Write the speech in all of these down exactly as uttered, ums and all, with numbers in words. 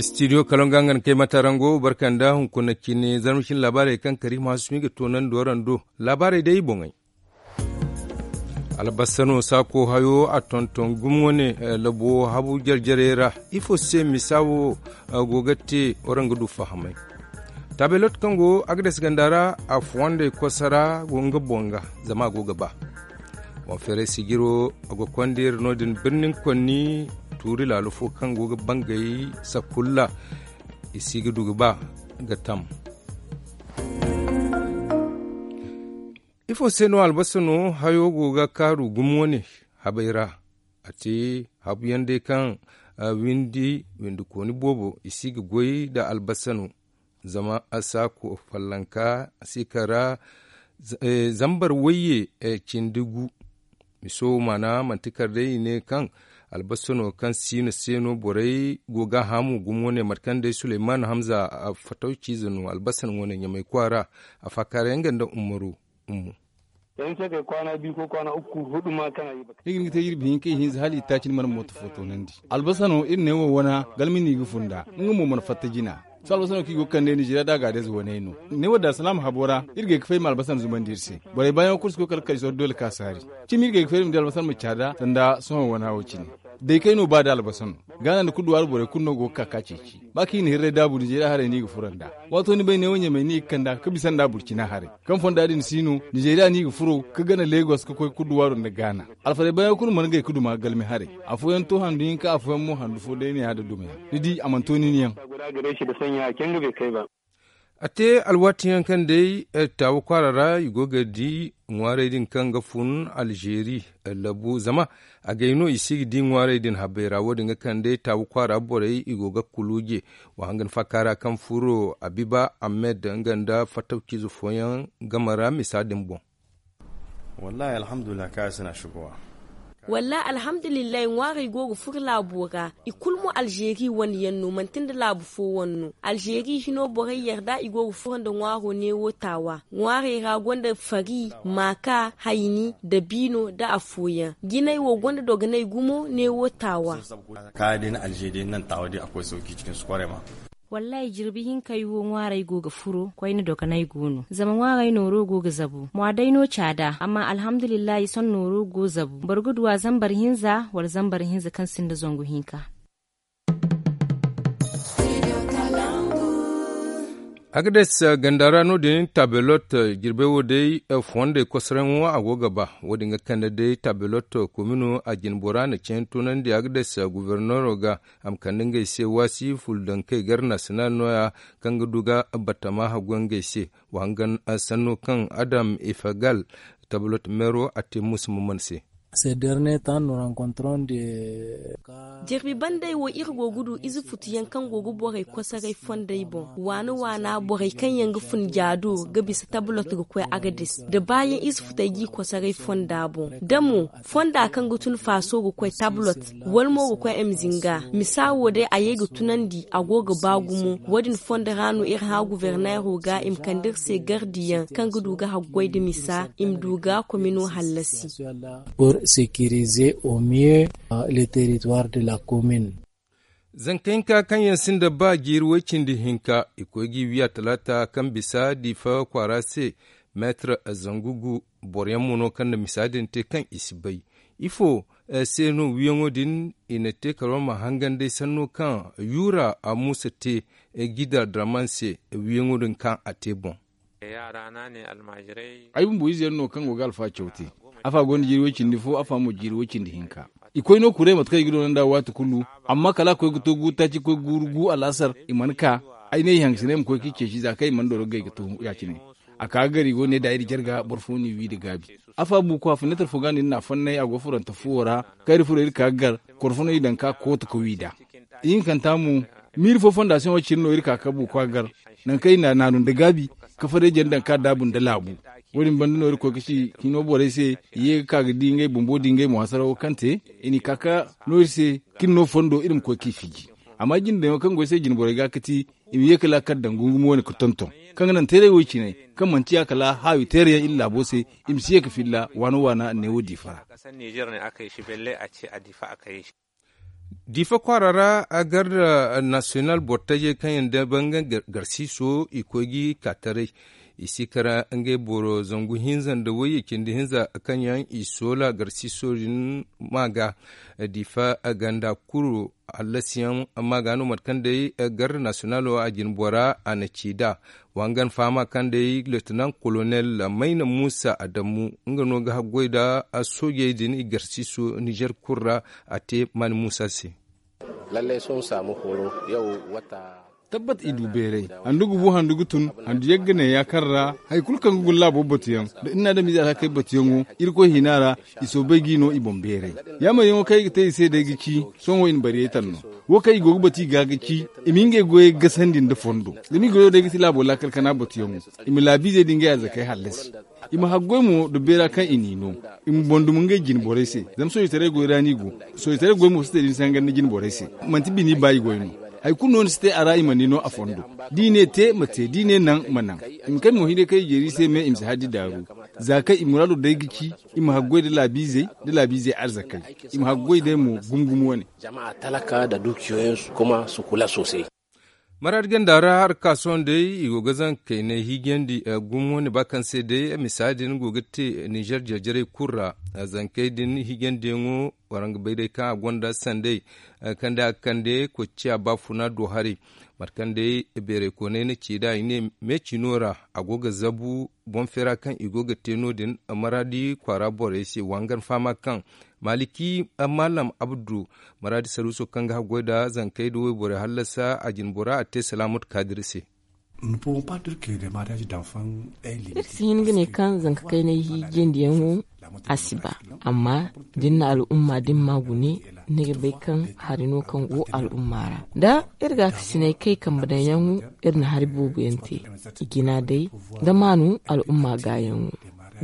Studio kalonga nga na kay matarango barkanda hunkuna cine zarma cine laabaarey kaŋ kari ma hasumi ga toonandi waraŋ do. Laabaarey day boŋey. Albasano saako hayo a tonton gumo ne. Labo habu jare-jarey ra ifo se misa wo go ga te waraŋ ga du fahamay. Taabelot kaŋ go agades ganda ra a fuwandey kosa ra go nga boŋ ga zama a go ga ba. Boŋ feeray sijiro a go konda iri no- din birnin konni tuuri laalo fo kaŋ go ga bangay sakulla i si ga du ga ba ga tam. Ifo se no albasa no hayo go ga kaaru gumo ne habay ra? A te habu yaŋ day kaŋ windi windi kooni boobo i si ga goy nda albasa no. Zama a saako fallanka si kara zambar wayye cindi gu. Miso maana manti kar day i ne kaŋ albasa no kaŋ siino se no borey go ga haamu gumo ne mate kaŋ day suleyman hamza fatawciize no albasa no wane ɲamay kwaara. A faakaaray nga nda umaru. Ummu. Yaŋ se kay kwaana bi ko kwaana ukku hudu ma kana yi baka. Iri ga te iri bihin kay hinza hala i taaci ni mana mooto fo toonandi. Albasa no iri ne wo wana galmi no i ga funda nga mo mana fatta jina. Sohõ albasa no kaŋ i go ga kande nizeeriya da a ga adayze waney no. Ne wo da salaama habo ra iri ga ay ga fay ma albasa no zumandi iri se. Borey baayaŋo kulu si koy kala kay sohõ doole ka saari. Cimi iri ga ay ga fay iri ma di albasa no ma caada sanda sohõ wana wo cine. Day kay no ba da albasa no gaana nda kulu duwaaru borey kulu no go ga ka ka ceeci. Ba kaŋ i na hirray daabu nizeeriya haray no i ga furo nd'a. Waato ni bay neewo ɲamay no i ga kand'a ga bisa nd'a burcina haray. Kaŋ fonda din si no nizeeriya no i ga furo ga gana legos ga koy ga duwaaru nda gaana. Alfarey baayaŋo kulu mana gay ga duma galmi haray. Afooyaŋ to handu hinka afooyaŋ mo handu fo day ne ya da dumayaŋ ni di a mana to nin yaŋ. A te alwaati yaŋ kaŋ day taawa kwaara ra i go ga di ŋwaarey din kaŋ ga fun alzeeri labu zama agay no i si ga di ŋwaarey din habbay ra wo- din ga kaŋ day taawa kwaara borey i go ga kuluuje. Wa hangan faaka ra kaŋ furo abiba ahmed nga nda fattawciize fooyaŋ game ra misa din boŋ. Wallahi alhamdulillah kaŋ a si na shigowa. Wallahi alhamdulillah ŋwaarey go ga furo laabo ra. I kulu mo alzeeri wane yaŋ no manti nda laabu fo wane no. Alzeeri hino borey yarda i go ga furo nda ŋwaaro neewo taawa. Ŋwaarey ra gonda fari, maaka, hayni, dabiino nda afooyaŋ. Jinay wo gonda dogonay gumo neewo taawa. Kaya day na alzeeri day naŋ taawa day a koy sauki cikin su kwarai ma. Wallahi jirbi hinkey wo ŋwaarey go ga furo koyne dogonay go no zama ŋwaarey nooro go ga zabu mwa day no caada amma alhamdulillahi sohõ nooro go zabu boro ga du a zambar hinza wala zambar hinza kaŋ sinda zangu hinka. Agades ganda ra no- din tabelot jirbey wo day fondey kosaraŋo a go ga ba. Wo- din ga kande day tabelot komino a jinbora na cen tunandi agades guberneero ga a ma kande ngey se waasi fuldankey gar national nooya kaŋ ga du ga batama haggoy ngey se. Wa hangan sanno kaŋ adam efegal tabelot meero a te musa maman se. Ces derniers temps nous rencontrons des cas. Jirbi bandey wo iri go ga du ize futuyaŋ kaŋ go ga borey kosoray fondey boŋ waana waana borey kaŋ yaŋ ga fun jaado ga bisa tablot ga koy agadis da baayaŋ ize futey g'i kosoray fonda boŋ da mo fonda kaŋ ga tun faaso ga koy tablot wala mo ga koy m zinga misa wo day a ye ga tunandi a go ga ba gumo. Wo- din fondo ra no iri hã guberneero ga i ma kande iri se gardiyaŋ kaŋ ga du ga haggoy nda misa i ma du ga komino hallasi. Pour sécuriser au mieux le territoire de la commune. Zanka hinka kaŋ yaŋ sinda ba jiiri way cindi hinka i koy g'i wiya talaata kaŋ bisa diifa kwaara se. Meetar zangu gu boro yaŋ mo no kaŋ na misa din te kaŋ i si bay ifo se no wiyaŋo din i na te karo ma hangan day sanno kaŋ yuura a muusa te gida draman se wiyaŋo din kaŋ a te boŋ. Ay bumbo ize yaŋ no kaŋ go ga alfa caw te. Afa gonda jiiri way cindi fo afa mo jiiri way cindi hinka. I koy no kuray mate kaŋ i ga doona nd'a waati kulu. Amma kala a koy ga to gu taaci koy guuru gu alaasar i mana ka. Ay ne i hangasinay ma koy k'i ceeci za kaŋ i mana doro ga gay ga to ya- cine. A ka ga gar i go ne da iri jarga boro fo n'i wi nda gaabi. Afa buuko a finetar fo ga no iri n'a fannay a go furante fuwo ra. Kaŋ iri furo iri ka ga gar korfono i daŋ ka koota ka wi nd'a. Ihinkanta mo miiri fo fondasiyoŋo cine no iri ka ka buuko a gar. Nangu kaŋ i n'a naanu nda gaabi ka fareeje nda daŋ ka daabu nda laabu. Wo- din banda no iri koy ga ci hino borey se i ye ga ka ga di ngey bumbo di ngey mo hasarawo kaŋ te. I n'i ka ka no iri se kaŋ iri no fondo iri ma koy k'i fiji. Amma jinde daŋo kaŋ go ay se jine borey ga ga ti i ma ye ka laakal daŋ gungumo wane ga tonton kaŋ ga naŋ teeray wo i cine kaŋ manti ya kala haawi teerayaŋ iri laabo se. I ma si ye ga filla waano waana neewo diifa ra. Diifa kwaara ra, garda nasiyonal bortajey kaŋ yaŋ day banga garsiiso i koy ga i ka taray. I si kara ngey boro zangu hinza nda wayye cindi hinza kaŋ yaŋ i soola garsiiso din ma ga. Diifa ganda kuru hallasiyaŋ ma ga no mate kaŋ day garda nasiyonalo a jine bora a na ci nd'a. Wa nga na fahama kaŋ day leetinan kolonel mayna muusa adamu nga no ga haggoy nda soojey din i garsiiso nizer kulu ra. A te mani muusa se. Lallai sun saamu horo yau wata. Tabbat i du beeray handu ga bu handu ga tun. Handu yagga ne ya kaŋ ra hari kulu kaŋ ga guna laabo batuyaŋ da iri na adamize alhakey batuyaŋo. Irkoy hina ra i soobay ga i no i boŋ beeray. Yaamaryaŋo kaŋ i ga te i se day ga ci sohõ i na bariyey taŋ no. Wo kaŋ i go ga batu i ga ga ci i ma ngey goyey gasandi nda fondo. Zama i goyo day ga ti laabo laakal kana batuyaŋo. I ma laabiizey da ngey arzakey hallasi. I ma haggoy mo nda beera kaŋ i n'i no. I ma boŋ duma ngey jine borey se. Zama soojitaray goy ra no i go. Soojitaray goy mo si te da ni si hangan ni jine borey se. Manti bini ba i goy no. Hari kulu no ni si te a ra i mana ni no a fondo. Da i ne te ma te da i ne naŋ ma naŋ. I ma kay mo hinay kaŋ i jeeri i se me i ma si haddi daaru. Za kaŋ i muraado day ga ci i ma haggoy nda laabiizey nda laabiizey arzakey. I ma haggoy day mo gumo gumo wane. Jama talaka nda duukiyoyinsu kuma su kula soosay. Maraadi ganda ra harka sohõ day i go ga zankey ne hiijandi gumo ne ba kaŋ se day misa din go ga te nizer jarjarey kulu ra. Zankey din hiijandiyaŋo waraŋ ga bay day kaŋ a gonda sanday kaŋ day a ga kande koy ga ciya baafuna do haray. Mate kaŋ day beeray koonay na ci nd'a i ne me cino ra a go ga zabu boŋ feera kaŋ i go ga te no- din. Maraadi kwaara borey se wa nga na fahama kaŋ maliki maalam abdu maraadi saruuso kaŋ ga haggoy nda zankey nda wayborey hallasa a jine bora a te salaamatu kaadir se. Iri si hin ga ne kaŋ zanka kaynay hiijandiyaŋo a si ba. Amma da ni na al'umma da ni ma gune ni ga bay kaŋ hari no kaŋ go al'umma ra. Da iri ga a kasinay kay kambe daŋ yaŋo iri na hari boobo yaŋ te i jina day da maanu al'umma gaayaŋo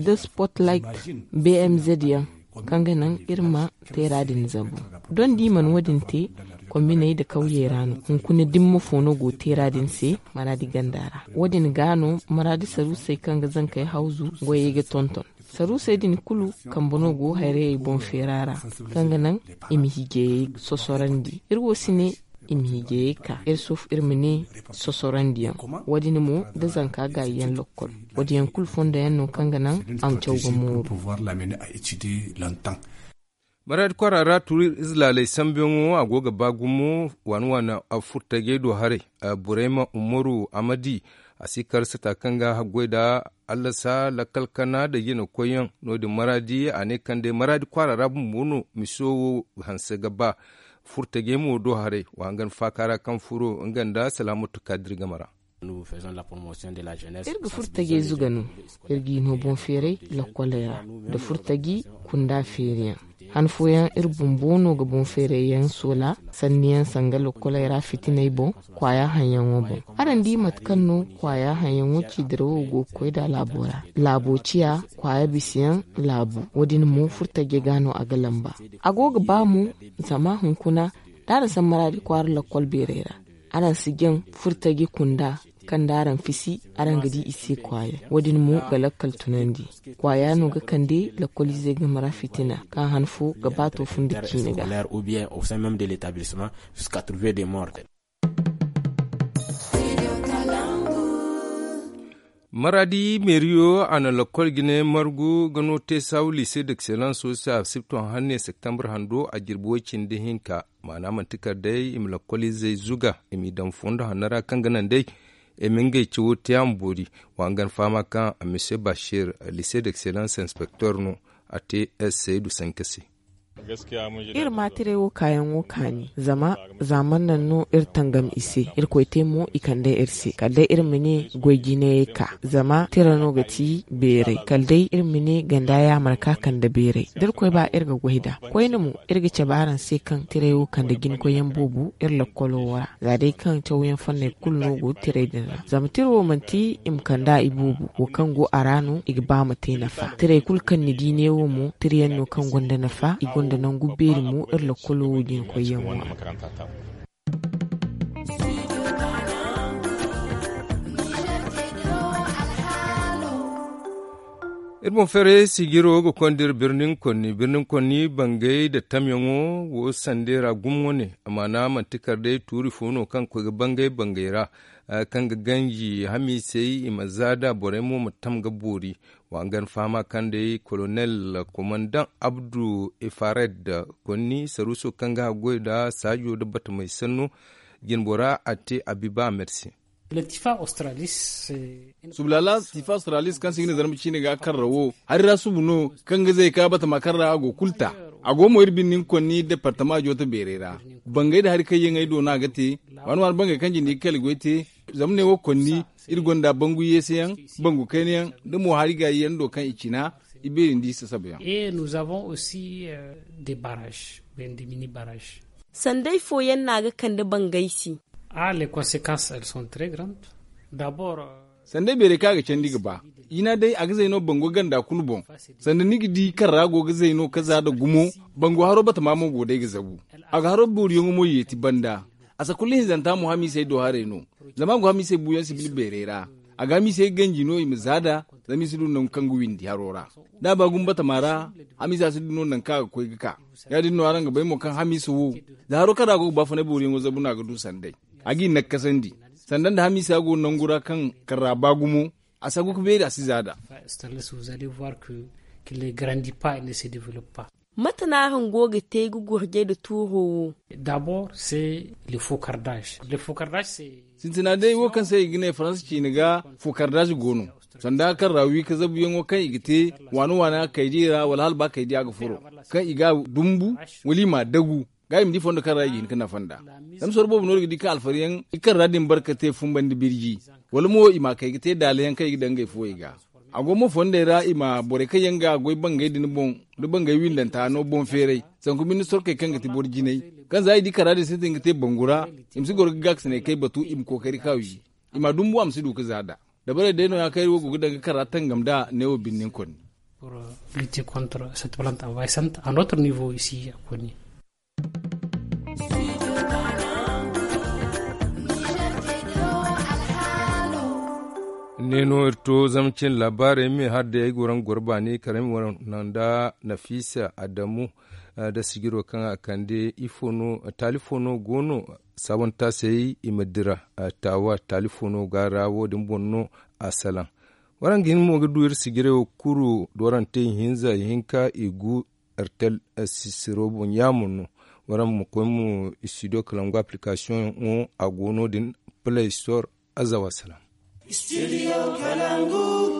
da spotlight bmz yaŋ kaŋ ga naŋ iri ma teera din zabu. Doŋ da i mana wo- din te kombiney nda kawyey ra no hunkuna dimma fo no go teera din se. Maraadi ganda ra wo- din ga no maraadi saruusey kaŋ ga zankey hawzu goyey ga tonton. Saruusey din kulu kambe no go hayrayey boŋ feera ra kaŋ ga naŋ i ma hiijayey sosorandi. Iri wo si ne i ma hiijayey ka iri sufu iri ma ne sosorandiyaŋ. Wo- din mo da zanka gaayiyaŋ lokkol wo- din yaŋ kulu fondo yaŋ no kaŋ ga naŋ a ma caw ga mooru. Maraadi kwaara ra turi ize laaley sambuyaŋo a go ga ba gumo waani waani furtajey do haray. Burayma umaru amadi a si kar sata kaŋ ga haggoy nda allasa lakkal kana nda jina koyyaŋ no- din maraadi a ne kaŋ day maraadi kwaara ra bumbo no miso wo hanse ga ba. Furtajey mo do haray wa nga na faaka ra kaŋ furo nga nda salaamatu kaadir game ra. Iri ga furo tajey zuga no. Iri g'i no boŋ feeray lokkoley ra nda furo taji kunda feeriyaŋ. Han fooyaŋ iri bumbo no ga boŋ feeray yaŋ soola sanniyaŋ sanga lokkoley ra fitiney boŋ. Kwaaya haŋyaŋo boŋ araŋ di mate kaŋ no kwaaya haŋyaŋo ciidirawo go ga koy nd'a laabo ra. Laabo ciya kwaaya bisayaŋ laabu wo- din mo furo taji ga no a ga lamba. A go ga ba mo zama hunkuna da araŋ sammaradi kwaara lokkol beeray ra araŋ si jaŋ furtaji kunda kaŋ da araŋ fisi araŋ ga di i se kwaaya. Wo- din mo ga lakkal tunandi kwaaya no ga kande lakkoliizey game ra fitina kaŋ han fo ga ba to fun da ciine ga. Maraadi meeriyo a na lakkol jine margu ga no te saawu liise d'excellence wo se a sibton hanne septembre hando a jirbi way- cindi hinka. Maana manti kala day i ma lakkoliizey zuga i m'i daŋ fondo hanno ra kaŋ ga naŋ day i ma ngey cawo te a ma boori. Wa nga na fahama kaŋ a mise bashir liise d'excellence inspecteur no a te seydu sanka se. Iri ma tiray wo kaayaŋo kaani zama zaaman naŋ no iri tangam i se. Irkoy te mo i kande iri se kala day iri ma ne goy jinayey ka zama tira no ga ti beeray kala day iri ma ne ganda yaamar ka kande beeray da irkoy ba iri ga goy nd'a. Koyne mo iri ga cabe araŋ se kaŋ tiray wo kande jinkoyyaŋ boobo iri lakkolo wo ra za day kaŋ cawyaŋ fanney kulu no go tiray din ra zama tira wo manti i ma kand'a iboobo wo kaŋ go a ra no i ga ba ma te nafa. Tiray kulu kaŋ ni di neewo mo tirayaŋ no kaŋ gonda nafa i gonda nangu beeri mo iri lakkolo wo jinkoyyaŋo ra. Iri boŋ feeray sijiro ga konda iri birnin konni birnin konni bangay nda tamyaŋo wo sandey ra gumo ne. Amaana manti kala day tuuri fo no kaŋ ga koy ga bangay bangay ra, kaŋ ga ganji hamiisey i ma zaada borey mo ma tam ga boori. Wa nga ni fahama kaŋ day kolonel komandaŋ abdu efared konni saruuso kaŋ ga haggoy nda saajo nda batamey sanno. Jinbora a te a bi ba a mersi. Sublaala tifa australis kaŋ se i ga ne zarma ciine ga karra wo hari ra subu no kaŋ ga zay ka batama karra a go kulu ta. A go mo iri bine ni ga konni departama jooto beerey ra. Bangay nda hari kaŋ yaŋ ay do no a ga te. Waani waani bangay kaŋ jindi ga kala goy te. Zama ne wo konni iri gonda bangu yeeseyaŋ, bangu kaynayaŋ, nda mo hari gaayi yaŋ do kaŋ i cina i beeri nda i sasaba yaŋ. Sanday fooyaŋ no a ga kande bangay se. Sandey beeray kaŋ a ga candi ga ba. Jina day a ga zay no bango ganda kulu boŋ. Sanda ni ga di karra go ga zay no ka za nda gumo. Bango haro batama mo go day ga zabu. A ga haro booriyaŋo mo yeeti banda. A sakulla hinzanta mo hamiisey do haray no. Zama a go hamiisey buuyaŋ sibil beeray ra. A ga hamiisey ganji no i ma za nda zama i si du nangu kaŋ ga windi haro ra. Da a ba gumo batama ra hamiisa si du no nangu kaŋ a ga koy ga ka. Ya- din no araŋ ga bay mo kaŋ hamiisa wo, za haro kaŋ ra a go ga baafunay booriyaŋo zabu no a ga du sanday. A g'i nakkasandi. Sanda nda hamiisa go nangu ra kaŋ karra ba gumo. A sagu ga beeri a si za nda. Mate no araŋ go ga te ga gurjay nda tuuro wo? Sintina day wo kaŋ se i ga ne faransa ciine ga fokardaazi go no. Sanda kaŋ ra wi ka zabuyaŋo kaŋ i ga te waani waani a kaydiya ra wala hala ba kaydiya ga furo, kaŋ i ga a dumbu wala i m'a dagu. Ga i ma di fondo kaŋ ra i ga hin ga nafa nd'a. Zama soro boobo no iri ga di kaŋ alfariyaŋ i kaŋ ra din bare ka te fumbandi birji, wala mo i m'a kay ga te daalayaŋ kaŋ i ga daŋ ngey fuwey ga. A go mo fondey ra i ma borey kaŋ yaŋ ga goy bangey din boŋ, nda bangey windanta no boŋ feeray. Sanku binde sorkey kaŋ ga ti boro jinay, kaŋ za i di kara din sintin ga te bangu ra, i ma si goro ga gaakasinay kay batu i ma kookari ka wi. I m'a dumbu a ma si du ga za nd'a. Dabarey day no- ya kaŋ iri wo go ga daŋ ga kara tangam nd'a neewo binde ni konni. Lutter contre cette plante envahissante à notre niveau ici à Konni. Ne no iri to zama cin laabaarey me har day ay go ra nga goro baani karaŋ ay ma wara naŋ nda nafiisa adamu, da sijiro kaŋ a kande ifo no taali fo no go no. Saabontaasey i ma dira taawa taali fo no ga ra wo- din boŋ no. A salaŋ waraŋ ga hin mo ga du iri sijirey wo kuru doorante ihinza ihinka i gu. Ertel sisiro boŋ yaamo no. Waraŋ ma koy mo studio kalangu application wo a go no- din play store. Azawa salaŋ.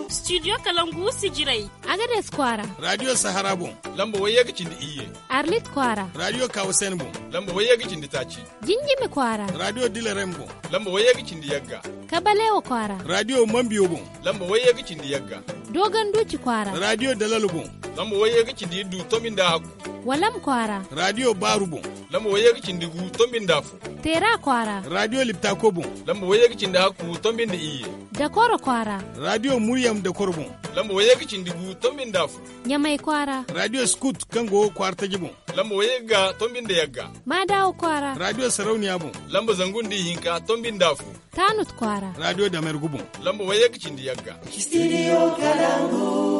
Studio kalangu sijirey. Agades kwaara. Radio sahara boŋ lamba wayye ga cindi iyye. Arlit kwaara. Radio kawasen boŋ lamba wayye ga cindi taaci. Jinjimi kwaara. Radio dilerem boŋ lamba wayye ga cindi yagga. Kabalewa kwaara. Radio mambiyo boŋ lamba wayye ga cindi yagga. Dogon duuci kwaara. Radio dalalo boŋ lamba wayye ga cindi iddu tombi nda hakku. Walam kwaara. Radio baaru boŋ lamba wayye ga cindi gu tombi nda fo. Teera kwaara. Radio liptako boŋ lamba wayye ga cindi hakku tombi nda iyye. Dakoro kwaara. Radio muryam dakoro boŋ lamba wayye ga cindi gu tombi nda fo. Ɲamay kwaara. Radio skut kaŋ go kwaara taji boŋ lamba wayye ga tombi nda yagga. Maadawa kwaara. Radio sarauniya boŋ lamba zangu nda ihinka tombi nda fo. Taanut kwaara. Radio damergu boŋ lamba wayye ga cindi yagga. Studio kalangu.